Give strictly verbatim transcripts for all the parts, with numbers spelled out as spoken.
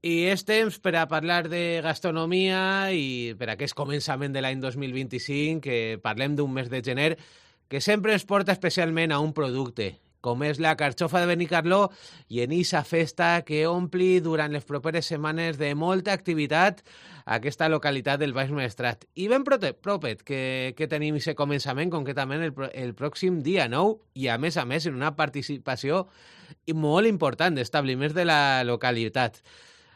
I és temps per a parlar de gastronomia i per a aquest començament de l'any dos mil vint-i-cinc, que parlem d'un mes de gener que sempre ens porta especialment a un producte, com és la carxofa de Benicarló, i en eixa festa que ompli durant les properes setmanes de molta activitat aquesta localitat del Baix Maestrat. I ben prote- propet que, que tenim aquest començament, concretament el, pro- el pròxim dia nou, i a més a més en una participació molt important d'establiments de la localitat.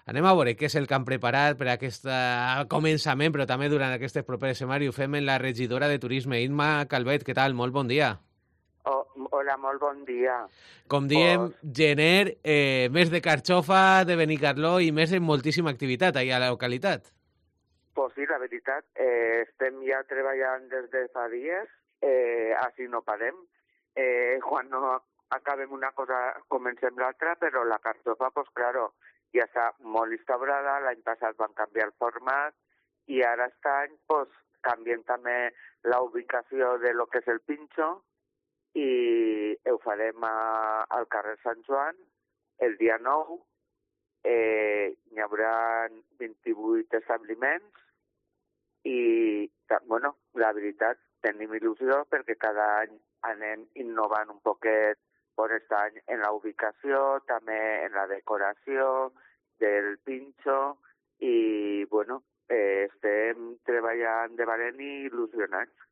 Anem a veure què és el que han preparat per a aquest començament, però també durant aquestes properes setmanes. Ho fem en la regidora de Turisme, Imma Calvet. Què tal? Molt bon dia. Oh, hola, molt bon dia. Com diem, Pues, gener, eh, mes de carxofa, de Benicarló i més en moltíssima activitat allà a la localitat. pues sí, la veritat, eh, estem ja treballant des de fa dies, eh, així no parem. Eh, quan no acabem una cosa, comencem l'altra, però la carxofa, pues claro, ja està molt instaurada, l'any passat van canviar el format, i ara aquest any, pues, canviem també la ubicació de lo que és el pinxo, i ho farem a, al carrer Sant Joan el dia nou. Eh, hi haurà vint-i-vuit establiments i, bueno, la veritat, tenim il·lusió perquè cada any anem innovant un poquet per aquest any en la ubicació, també en la decoració del pinxo i, bueno, eh, estem treballant de valent i il·lusionats.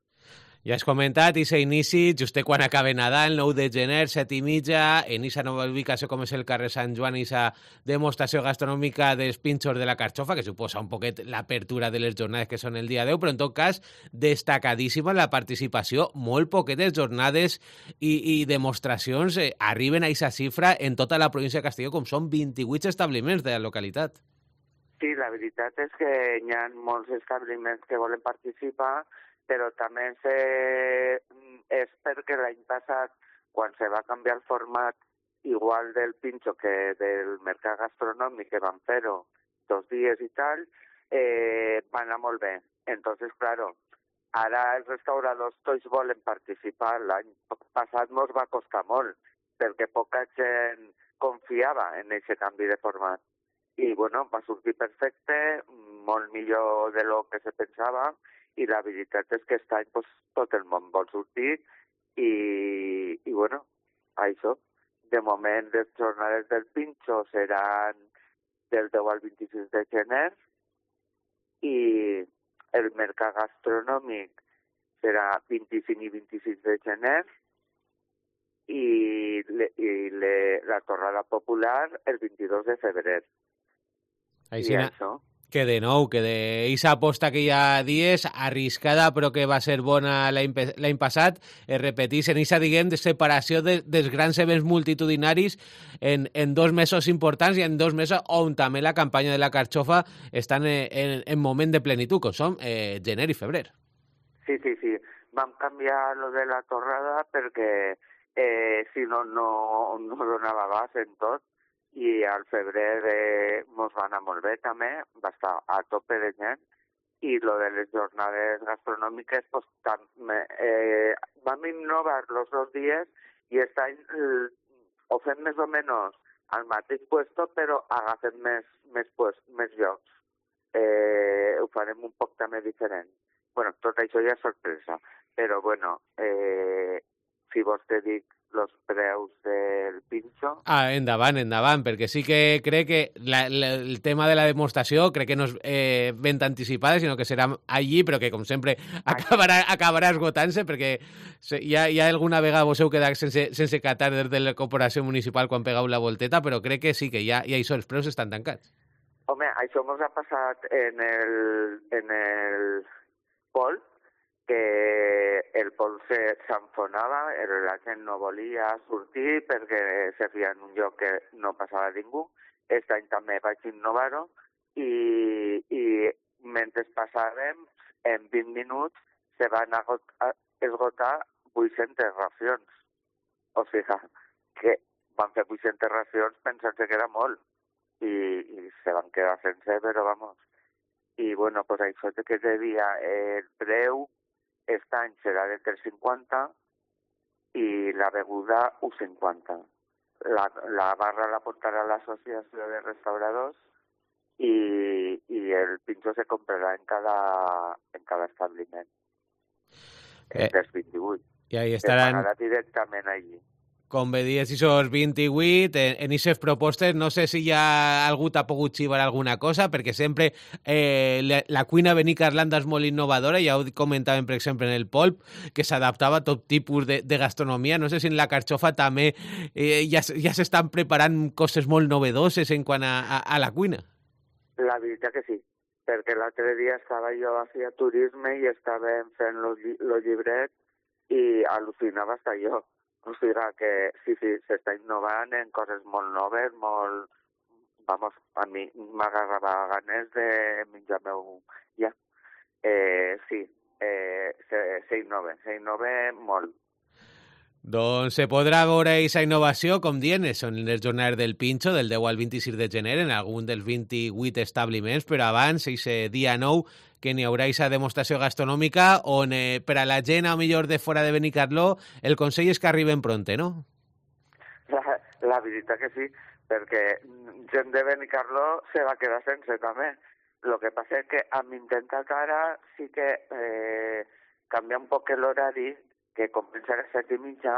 Ja has comentat, i s'inici just quan acaba Nadal, nou de gener, set i mitja, en aquesta nova ubicació com és el carrer Sant Joan, i aquesta demostració gastronòmica dels pinxos de la carxofa, que suposa un poquet l'apertura de les jornades que són el dia deu, però en tot cas destacadíssima la participació, molt poquetes jornades i, i demostracions eh, arriben a aquesta xifra en tota la província de Castelló, com són vint-i-vuit establiments de la localitat. Sí, la veritat és que hi ha molts establiments que volen participar, però també se... és perquè l'any passat, quan se va canviar el format igual del pinxo que del mercat gastronòmic, que van fer-ho dos dies i tal, eh, va anar molt bé. Entonces, claro, ara els restauradors tots volen participar. L'any passat ens va costar molt, perquè poca gent confiava en aquest canvi de format. I, bueno, va sortir perfecte, molt millor de lo que se pensava, i la veritat és que aquest any pues, tot el món vol sortir i, i bueno, això. De moment, les jornades del pinxo seran del deu al vint-i-sis de gener i el mercat gastronòmic serà vint-i-cinc i vint-i-sis de gener i, le, i le, la torrada popular el vint-i-dos de febrer. Així, I això. que de nou, que d'eixa aposta que hi ha dies, arriscada però que va ser bona l'any l'any passat, es repetís en eixa, diguem, de separació de, dels grans events multitudinaris en, en dos mesos importants i en dos mesos on també la campanya de la carxofa està en, en, en moment de plenitud, com són eh, gener i febrer. Sí, sí, sí. Vam canviar lo de la torrada perquè eh, si no, no, no donava abast en tot, i al febrer eh, mos va anar molt bé també, va estar a tope de gent, i lo de les jornades gastronòmiques, pues, tam, eh, vam innovar los dos dies i aquest any eh, ho fem més o menys al mateix puesto, però agafem més, més, pues, més llocs. Eh, ho farem un poc també diferent. Bueno, tot això ja és sorpresa, però bueno, eh, si vols te dic los preus del pinxo. Ah, endavant, endavant, perquè sí que crec que la, la, el tema de la demostració crec que no és eh, ben anticipada, sinó que serà allí, però que, com sempre, acabarà, acabarà esgotant-se, perquè ja, ja alguna vegada vos heu quedat sense, sense catar des de la corporació municipal quan pegau la volteta, però crec que sí, que ja, ja això, els preus estan tancats. Home, això ens ha passat en el, en el Pol, que el Pol s'enfonava, la gent no volia sortir perquè se feia en un lloc que no passava ningú. Aquest any també vaig innovar-ho i, i mentre passàvem, en vint minuts se van esgotar vuit-centes racions. O sigui, que van fer vuit-centes racions pensant-se que era molt i, i se van quedar sense, però vamos. I bueno, pues això que devia el preu aquest any serà de tres cinquanta i la beguda un cinquanta. La, la barra la portarà l'associació de restauradors i, i el pinxo se comprarà en cada, en cada establiment eh. dels vint-i-vuit. I ahí estaran... Se pagarà directament allí. Com bé dies, esos vint-i-vuit, en, en aquestes propostes, no sé si ja algú t'ha pogut xivar alguna cosa, perquè sempre eh, la, la cuina Benicarlanda és molt innovadora, ja ho comentàvem, per exemple, en el Polp, que s'adaptava a tot tipus de, de gastronomia. No sé si en la Carxofa també eh, ja, ja s'estan preparant coses molt novedoses en quant a, a, a la cuina. La veritat que sí, perquè l'altre dia estava jo a fer turisme i estàvem fent el lli llibret i al·lucinava hasta jo. O sigui que sí, sí, s'està innovant en coses molt noves, molt... Vamos, a mi m'agarrava ganes de menjar-me-ho ja. Eh, sí, eh, s'innova, s'innova molt. Doncs se podrà veure aquesta innovació, com dient, són les jornades del Pinxo, del deu al vint-i-sis de gener, en algun dels vint-i-vuit establiments, però abans, aquest dia nou, que n'hi haurà aquesta demostració gastronòmica on eh, per a la gent, a millor de fora de Benicarló, el consell és que arriben pronte, no? La, la veritat que sí, perquè gent de Benicarló se va quedar sense també. El que passa és que amb intentar ara sí que eh, canvia un poc l'horari, que comença a les set i mitja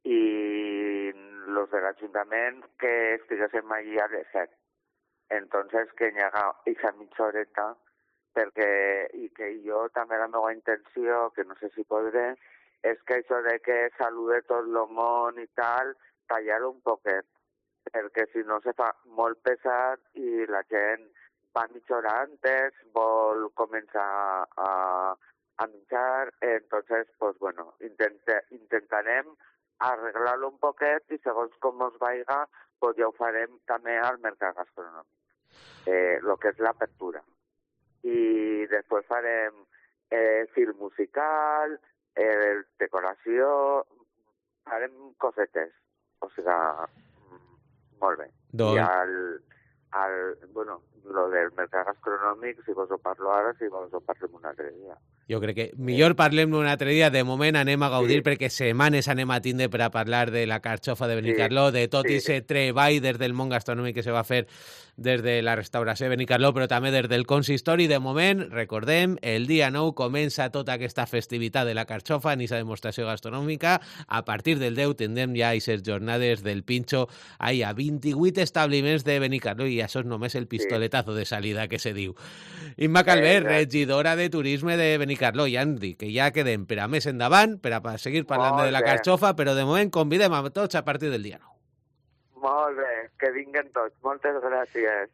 i los de l'Ajuntament que estiguéssim allí a les set. Entonces que hi haga aquesta mitja horeta perquè, i que jo també la meva intenció, que no sé si podré, és que això de que salude tot el món i tal, tallar-ho un poquet, perquè si no se fa molt pesat i la gent va mitja hora antes, vol començar a a menjar, entonces, pues bueno, intente, intentarem arreglar-lo un poquet i segons com us vaiga, pues ja ho farem també al mercat gastronòmic, eh, lo que és l'apertura. I després farem eh, film musical, eh, decoració, farem cosetes, o sigui, molt bé. Don... I al, al, bueno, lo del mercat gastronòmic, si vos ho parlo ara, si vos ho parlem un altre dia. Jo crec que millor parlem un altre dia. De moment anem a gaudir, sí, perquè setmanes anem a tindre per a parlar de la Carxofa de Benicarló, sí, de tot i sí, aquest treball des del món gastronòmic que se va fer des de la restauració de Benicarló, però també des del consistori. De moment, recordem, el dia nou comença tota aquesta festivitat de la Carxofa en aquesta demostració gastronòmica. A partir del deu tindrem ja aquestes jornades del Pinxo ahí a vint-i-vuit establiments de Benicarló, i això és només el pistoletazo de salida que se diu. Imma Calvet, regidora de Turisme de Benicarló, ja em dic que ja quedem per a més endavant, per a seguir parlant de la Carxofa, però de moment convidem a tots a partir del dia nou. Molt bé, que vinguen tots. Moltes gràcies.